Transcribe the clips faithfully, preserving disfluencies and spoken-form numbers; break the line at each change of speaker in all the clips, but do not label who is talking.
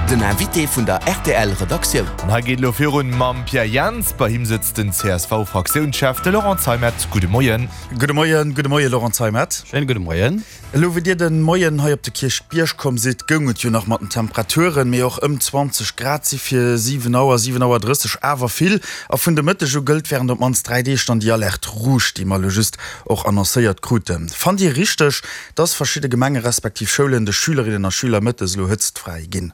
Den Invité vun der R T L Redaktioun.
An hei geet elo virun mam Pierre Jans. Bei him sëtzt den C S V-Fraktiounschef, de Laurent Zeimet. Gudde Moien.
Gudde Moien, gudde Moie Laurent Zeimet.
Schéine gudde Moien.
Elo wéi Dir de Moien hei op de Kierchbierg komm sidd, goung et jo nach mat den Temperaturen, mee och ëm zwanzeg Grad si fir siwen Auer, siwen Auer drësseg awer vill. A vun de Mëtteg u gëllt wärend op d'mannst dräi Deeg dann déi Alerte rouge, déi mer elo just och annoncéiert kruten. Fannt Dir richteg, dass verschidde Gemenge respektiv Schoulen de Schülerinnen a Schüler mëttes elo hëtztfräi ginn?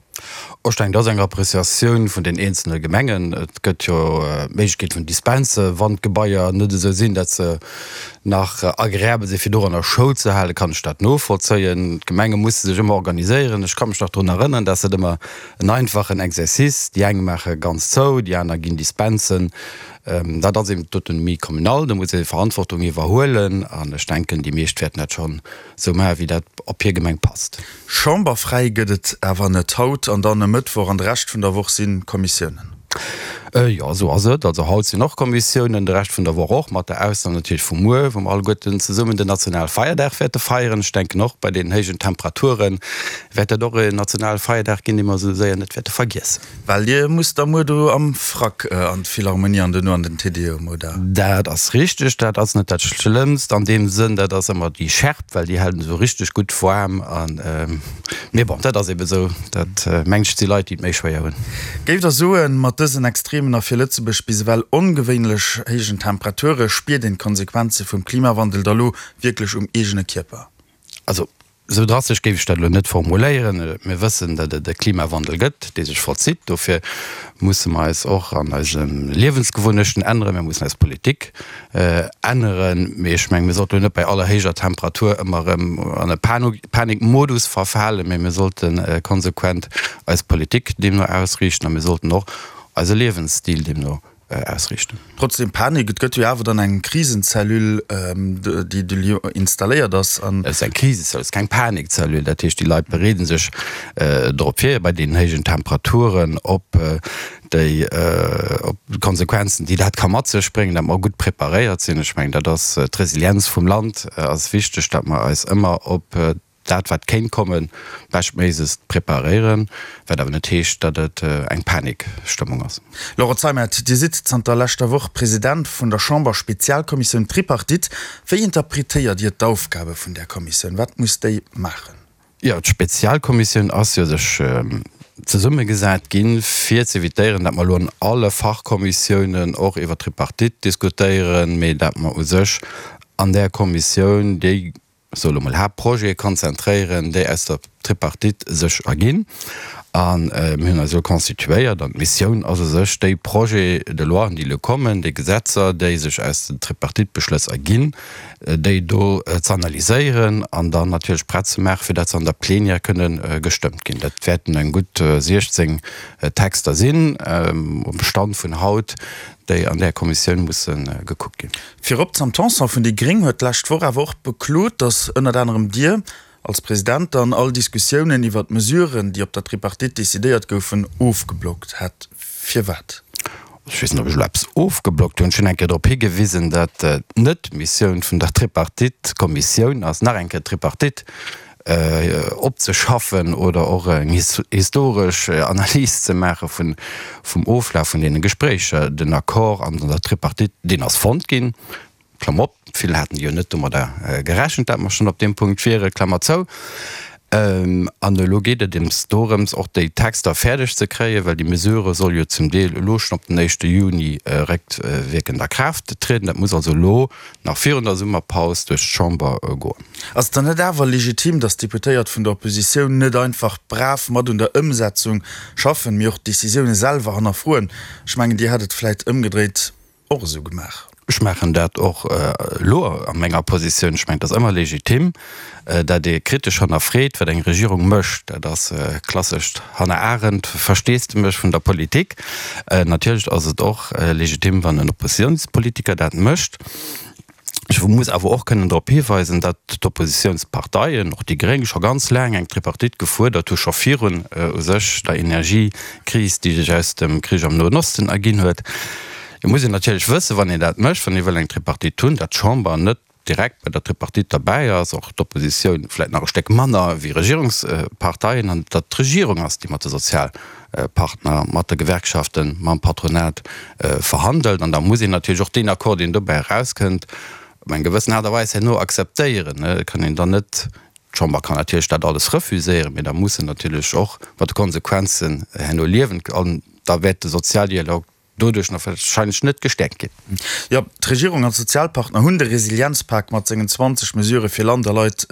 Ech denken, dat ass eng Appreciatioun vun den eenzelne Gemengen. Et gëtt jo d'Méiglechkeet vun Dispense, wann d'Gebaier net esou sinn, datt se nach agreabel sinn, fir doranner Schoul ze halen, kann ech dat novollzéien. D'Gemenge musse sech ëmmer organiséieren. Ech ka mech nach drun erënneren, dat ass net ëmmer en einfachen Exercice. Déi eng maache ganz zou, déi aner ginn Dispensen. Dat ass eben d'Autonomie communale, do muss ee Verantwortung iwwerhuelen an ech denken, déi meescht wäerten dat schonn esou maachen, wéi dat op hir Gemeng passt.
Chamberfräi gëtt et awer net haut an dann e Mëttwoch an de Rescht vun der Woch si Kommissiounen.
Jo, esou ass et. Also haut sinn och Kommissiounen, de Rescht vun der Woch och, mat der Ausnam natierlech vu muer, wou mer alleguerten zesummen den Nationalfeierdag wäerte feieren. Ech denken och, bei deenen héijen Temperature wäert dat och en Nationalfeierdag ginn, dee mer esou séier net wäerte vergiessen.
Well Dir musst da muer do am Frack an d'Philharmonie an duerno an den Te Deum, oder?
Dat ass richteg. Dat ass net dat Schlëmmst an deem Sënn, dat ass ëmmer déi Schärp, well déi hält esou richteg gutt waarm. An, mee bon, dat ass ebe sou. Dat mengt ech si Leit, déi et méi schwéier hunn.
Géift Der soen, mat dësen extremen a fir Lëtzebuerg bis ewell ongewéinlech héijen Temperature spiert een d'Konsequenze vum Klimawandel da lo wierklech um eegene Kierper?
Also, esou drastesch géif ech dat elo net formuléieren. Mir wëssen, datt et e Klimawandel gëtt, dee sech vollzitt. Dofir musse mer eis och an eise Liewensgewunnechten änneren. Mir mussen eis Politik änneren. Mee ech mengen, mir sollten elo net bei aller héijer Temperatur ëmmer erëm an e Panikmodus verfalen, mee mir sollte konsequent eis Politik deemno ausriichten a mir sollten och eise Liewensstil deemno ausriichten.
Trotzdem Panik, et gëtt jo awer dann eng Krisenzellule, déi do installéiert ass
an. Et ass eng Krisenzellule, et ass keng Panikzellule. Dat heescht, déi Leit bereede sech drop vir, bei deenen héijen Temperaturen op déi op d'Konsequenzen, déi dat ka mat sech bréngen, datt mer gutt preparéiert sinn. Ech mengen, dat ass d'Resilienz vum Land ass wichteg, datt mer eis ëmmer op dat wat kéint kommen, beschtméiglechst preparéieren, wat awer net heescht, datt et eng Panikstëmmung ass.
Laurent Zeimet, Dir sidd zanter leschter Woch President vun der Chamber-Spezialkommissioun Tripartite. Wéi interpretéiert Dir d'Aufgabe vun där Kommissioun? Wat muss déi maachen?
Jo, d'Spezialkommissioun ass jo sech zesummegesat ginn, fir z'evitéieren, datt mer elo an alle Fachkommissiounen och iwwer d'Tripartite diskutéieren, mee datt mer u sech an där Kommissioun déi soe lo mol, Haaptprojete konzentréieren, déi aus der Tripartite sech erginn. A mir hunn eis elo constituéiert an d'Missioun ass u sech, déi Projets de loi, déi elo kommen, déi Gesetzer, déi sech aus den Tripartite-Beschlëss erginn, déi do z'analyséieren an dann natierlech prett ze maachen, fir datt se an der Plenière kënne gestëmmt ginn. Dat wäerten eng gutt siechzéng Texter sinn um Stand vun haut, déi an där Kommissioun musse gekuckt ginn.
Virop d'Sam Tanson vun déi Gréng huet d'lescht Woch awer och beklot, datt ënnert anerem Dir als President dann all Diskussiounen iwwer d'Mesuren, déi op der Tripartite decidéiert goufen, ofgeblockt hätt. Firwat?
Ech weess net, ob ech elo eppes ofgeblockt hunn. Ech hunn eng Kéier drop higewisen, datt et net d'Missioun vun der Tripartite-Kommissioun ass, nach eng Kéier d'Tripartite opzeschaffen oder och eng historesch Analys ze maache vum Oflaf vun deene Gespréicher. Den Accord an der Tripartite, deen ass fonnt ginn. Klammer op, vill haten jo net domadder gerechent, dat mer schonn op deem Punkt wieren, Klammer zou. An elo geet et ems dorëms, och déi Texter fäerdeg ze kréien, well déi Mesure soll jo zum Deel elo schonn op den éischte Juni réckwierkend a Kraaft trieden. Dat muss also elo nach virun der Summerpaus duerch d'Chamber goen.
Ass et dann net awer legitim, datt d'Deputéiert vun der Oppositioun net einfach brav mat un der Ëmsetzung schaffen, mee och d'Decisioune selwer hannerfroen? Ech mengen, Dir hätt et vläit ëmgedréit och esou gemaach.
Ech maachen dat och elo a menger Positioun. Ech mengen, et ass ëmmer legitim, dat ee kritesch hannerfreet, wat eng Regierung mécht. Dat ass klassescht Hannah Arendt Versteesdemech vun der Politik. Natierlech ass et och legitim, wann en Oppositionspolitiker dat mécht. Ech muss awer och kënnen drop hiweisen, datt d'Oppositionsparteien, och déi Gréng, scho ganz laang eng Tripartite gefuerdert hu scho virun u sech der Energiekris, déi sech aus dem Krich am Noen Osten erginn huet. Et muss een natierlech wëssen, wann een dat mécht, wann ee wëll eng Tripartite hunn, datt d'Chamber net direkt bei der Tripartite derbäi ass, och d'Oppositioun vläicht nach e Stéck manner wéi Regierungsparteien, an datt d'Regierung ass, déi mat de Sozialpartner, mat de Gewerkschaften, mam Patronat verhandelt. An da muss een natierlech och deen Accord, deen dobäi erauskënnt, op eng gewëssen Aart a Weis herno akzeptéieren. Et kann een dann net, d'Chamber kann natierlech dat alles refuséieren, mee da muss se natierlech och mat de Konsequenzen herno liewen an da wäert de Sozialdialog doduerch nach wahrscheinlech net gestäerkt ginn.
Jo, d'Regierung an d'Sozialpartner hunn de Resilienzpak mat sengen zwanzeg Mesurë fir Land a Leit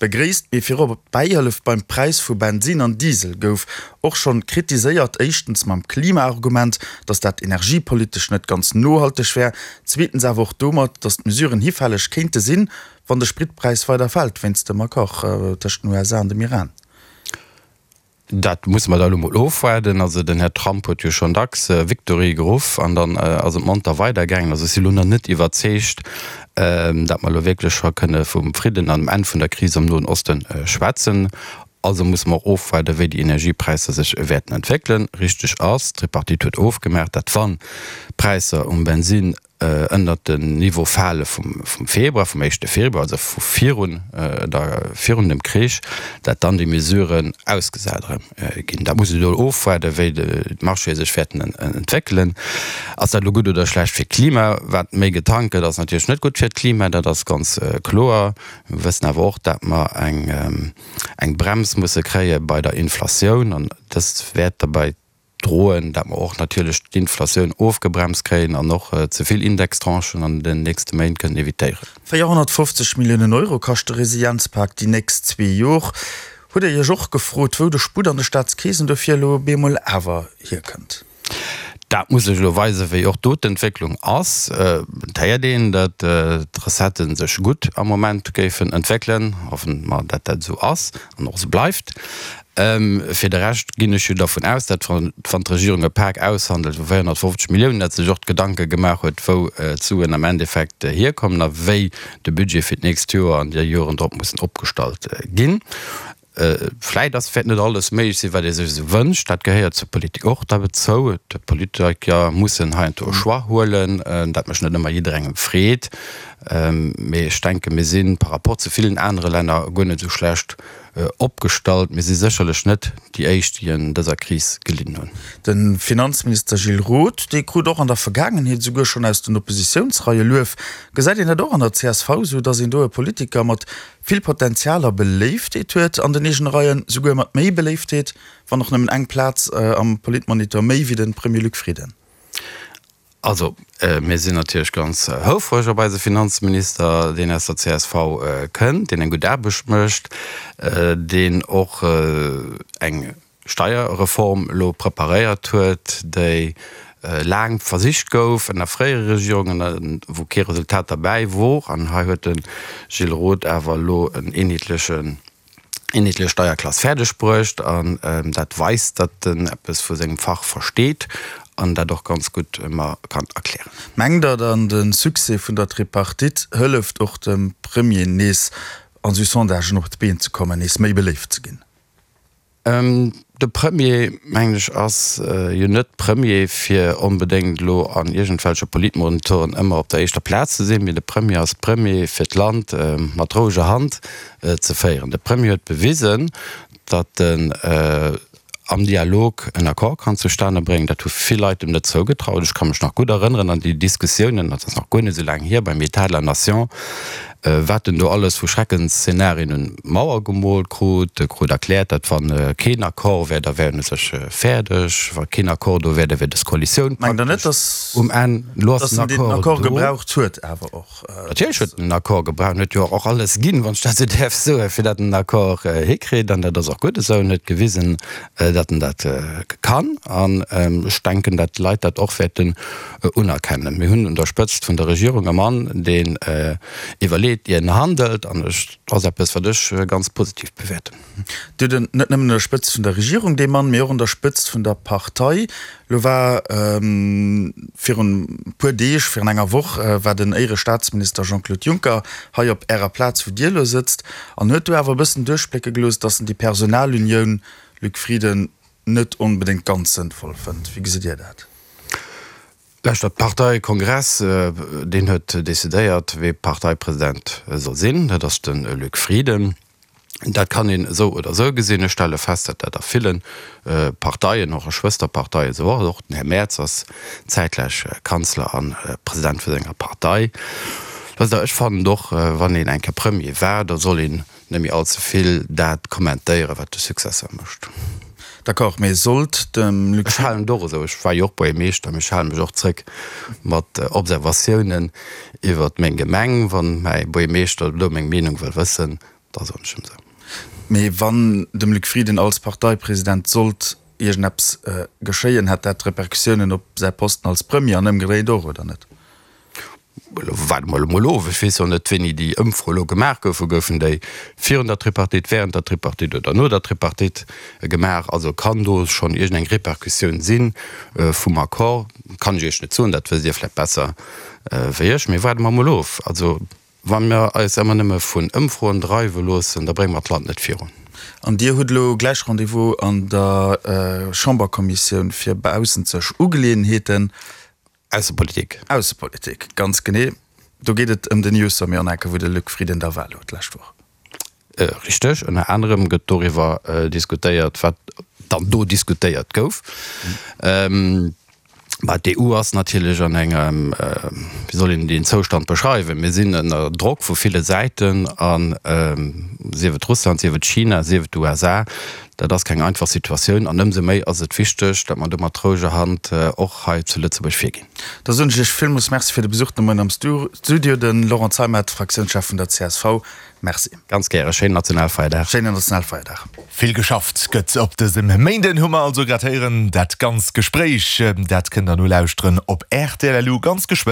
begréisst. Mee virop d'Bäihëllef beim Präis vu Bensinn an Diesel gouf och schonn kritiséiert. Éischtens mam Klimaargument, datt dat energiepolitesch net ganz nohalteg wär. Zweetens awer och domat, datt d'Mesuren hifälleg kéinte sinn, wann de Spritpräis weider fält wéinst dem Accord tëscht den U S A an dem Iran.
Dat musse mer da elo mol ofwaarden. Also den Här Trump huet jo schonn dacks Victory geruff an dann ass et monter weidergaangen. Also ech si lo nach net iwwerzeegt, datt mer elo wierklech scho kënne vum Fridden an dem Enn vun der Kris am Noen Oste schwätzen. Also musse mer och ofwaarden, wéi déi Energiepräisser sech wäerten entwéckelen. Richteg ass, d'Tripartite huet ofgemaach, datt wann d'Präisser um Bensinn ënnert den Niveau fale vum Februar, vum éischte Februar, also vu virun der, virun dem Krich, dat dann déi Mesuren ausgesat erëm ginn. Dat muss een elo ofwaarden, wéi d'Marchéë sech wäerten entwéckelen. Ass dat elo gutt oder schlecht fir d'Klima? Wat méi getankt gëtt, ass natierlech net gutt fir d'Klima, dat ass ganz kloer. Mir wëssen awer och, dat mer eng, eng Brems musse kréie bei der Inflatioun an dëst wäert derbäi droen, dat mer och natierlech d'Inflatioun ofgebremst kréien an och ze vill Indextranchen an den nächste Méint kënnen evitéieren.
véierhonnertfofzeg Milliounen Euro kascht de Resilienzpak déi nächst zwee Jor. Hutt Dir Iech och gefrot, wou de Sputt an de Staatskeesen dofir elo bemol awer hierkënnt?
Dat muss sech elo weisen, wéi och do d'Entwécklung ass. Et héiert een, datt d'Recetten sech gutt am Moment géifen entwéckelen. Hoffen mer, datt dat esou ass an och esou bleift. Fir de Rescht ginn ech jo dervun aus, datt, wann d'Regierung e Pak aushandelt vu véierhonnertfofzeg Milliounen, datt se sech och d'Gedanke gemaach huet, wou d'Suen am Endeffekt hierkommen a wéi de Budget fir d'nächst Joer an déi Joren drop mussen opgestallt ginn. Vläit ass, wäert net alles méiglech sinn, wat ee sech esou wënscht. Dat gehéiert zur Politik och derzou. D'Politiker mussen heiansdo e Choix huelen. Dat mécht net ëmmer jidderengem Freed. Mee ech denken, mir si par rapport zu villen anere Länner guer net esou schlecht opgestallt. Mir si sécherlech net déi éischt, déi an dëser Kris gelidden hunn.
De Finanzminister Gilles Roth, dee krut och an der Vergaangenheet esouguer schonn aus den Oppositiounsreie Luef. Gesäit een dat och an der C S V esou, datt een do e Politiker mat vill Potenzial a Beléiftheet huet an den eegene Reien, souguer mat méi Beléiftheet, wann och nëmmen eng Plaz am Politmonitor méi wéi de Premier Luc Frieden?
Also, mir sinn natierlech ganz houfreg op eise Finanzminister, deen aus der C S V kënnt, deen eng gutt Aarbecht mécht, deen och eng Steierreform elo preparéiert huet, déi laang versicht gouf ënner fréiere Regierungen, wou kee Resultat derbäi wor. An hei huet de Gilles Roth awer elo en eenheetlechen, eenheetlech Steierklass fäerdeg bruecht. An dat weist, datt en eppes vu sengem Fach versteet an dat och ganz gutt ëmmer kann erklären.
Mengt Der dann, de Succès vun der Tripartite hëlleft och dem Premier nees an sou Sondagen op d'Been ze kommen, nees méi beléift ze ginn?
De Premier, mengen ech, ass jo net Premier, fir onbedéngt elo an iergendwelche Politmonitoren ëmmer op der éischter Plaz ze sinn, mee de Premier ass Premier, fir d'Land mat roueger Hand ze féieren. De Premier huet bewisen, datt en am Dialog en Accord kann zustane bréngen. Dat hu vill Leit em net zougetraut. Ech ka mech nach gutt erënneren an déi Diskussiounen, dat ass nach guer net esou laang hier, beim État de la Nation, wat en do alles vu Schreckensszenarien un d'Mauer gemoolt krut. E krut erkläert, datt wann keen Accord wär, da wär en u sech fäerdeg. Wa keen Accord do wär, da wär dës Koalitioun
Mengt Der net,
praktesch um Enn. Elo ass
dass
den
en deen
Accord
Accord
do.
gebraucht huet awer och?
Natierlech huet en den Accord gebraucht. En huet jo och alles ginn, wann ech dat esou däerf soen, fir datt en den Accord hikritt. An dat ass och gutt esou. En huet gewisen, datt en dat kann. An ech denken, datt d'Leit dat och wäerten unerkennen. Mir hunn un der Spëtzt vun der Regierung e Mann, deen iwwerleet, ier en handelt. An ech, dat ass eppes, wat ech ganz positiv bewäerten.
Dir hutt en net nëmmen un der Spëtzt vun der Regierung, dee Mann, mee och un der Spëtzt vun der Partei. Lo war virun e puer Deeg, virun enger Woch, war den Éierestaatsminister Jean-Claude Juncker hei op Ärer Plaz, wou Dir elo sëtzt, an huet do awer e bëssen duerchblécke gelooss, datt en déi Personalunioun, Luc Frieden, net onbedéngt ganz sënnvoll fënnt. Wéi gesitt Dir dat?
Lauschtert, Parteikongress, deen huet decidéiert, wee Parteipresident soll sinn. Dat ass de Luc Frieden. Dat kann een esou oder esou gesinn. Ech stelle fest, datt dat a ville Parteien, och a Schwësterparteien esou ass. Och den Här Merz ass zäitgläich Kanzler a President vu senger Partei. Wësst Der, ech fannen och, wann een eng Kéier Premier war, da soll een net méi allze vill dat kommentéieren, wat de Successeur mécht.
D'accord, mee sollt dem
Luc. Ech halen et och esou, ech war jo och Buergermeeschter, mee ech hale mech och zréck mat Observatiounen iwwert meng Gemeng. Wann mäi Buergermeeschter do meng Meenung wëll wëssen, da soen ech em se.
Mee wann dem Luc Frieden als Parteipresident sollt iergendeppes geschéien, hätt dat Repercussiounen op säi Posten als Premier an ëmgedréit och, oder net?
Elo waarde mer emol of. Ech weess och net, wéini déi Ëmfro elo gemaach goufen. Goufen déi virun der Tripartite, während der Tripartite oder no der Tripartite gemaach? Also kann do schonn iergendeng Repercussioun si vum Accord? Kann ech Iech net soen, dat wësst Dir vläicht besser wéi ech. Mee waarde mer emol of. Also wa mer eis ëmmer nëmme vun Ëmfroen dreiwe loossen, da brénge mer d'Land net virun.
An Dir hutt elo gläich Rendez-vous an der Chamberkommissioun fir baussenzeg Ugeleeënheeten.
Aussepolitik.
Aussepolitik, ganz genee. Do geet et ëm den EU-Sommet an enke wou de Luc Frieden da war elo d'lescht Woch.
Richteg. Ënner anerem gëtt doriwwer diskutéiert, wat dann do diskutéiert gouf. Mä d'EU ass natierlech an engem, wéi soll een deen Zoustand beschreiwen, mir sinn ënner Drock vu ville Säiten, a sief et Russland, sief et China, sief et d'USA, Dat ass keng einfach Situatioun an ëmsou méi ass et wichteg, datt mer do mat roueger Hand och hei zu Lëtzebuerg virginn.
Da soen ech Iech villmools Merci fir de Besuch de Moien am Studio, de Laurent Zeimet, Fraktiounschef vun der csv. Merci.
Ganz gäre. Schéinen Nationalfeierdag.
Schéinen Nationalfeierdag.
Vill geschafft gëtt op dësem Méinden, hu mer also grad héieren. Dat ganz Gespréich, dat kënnt der nolauschteren op rtl. Ganz geschwënn.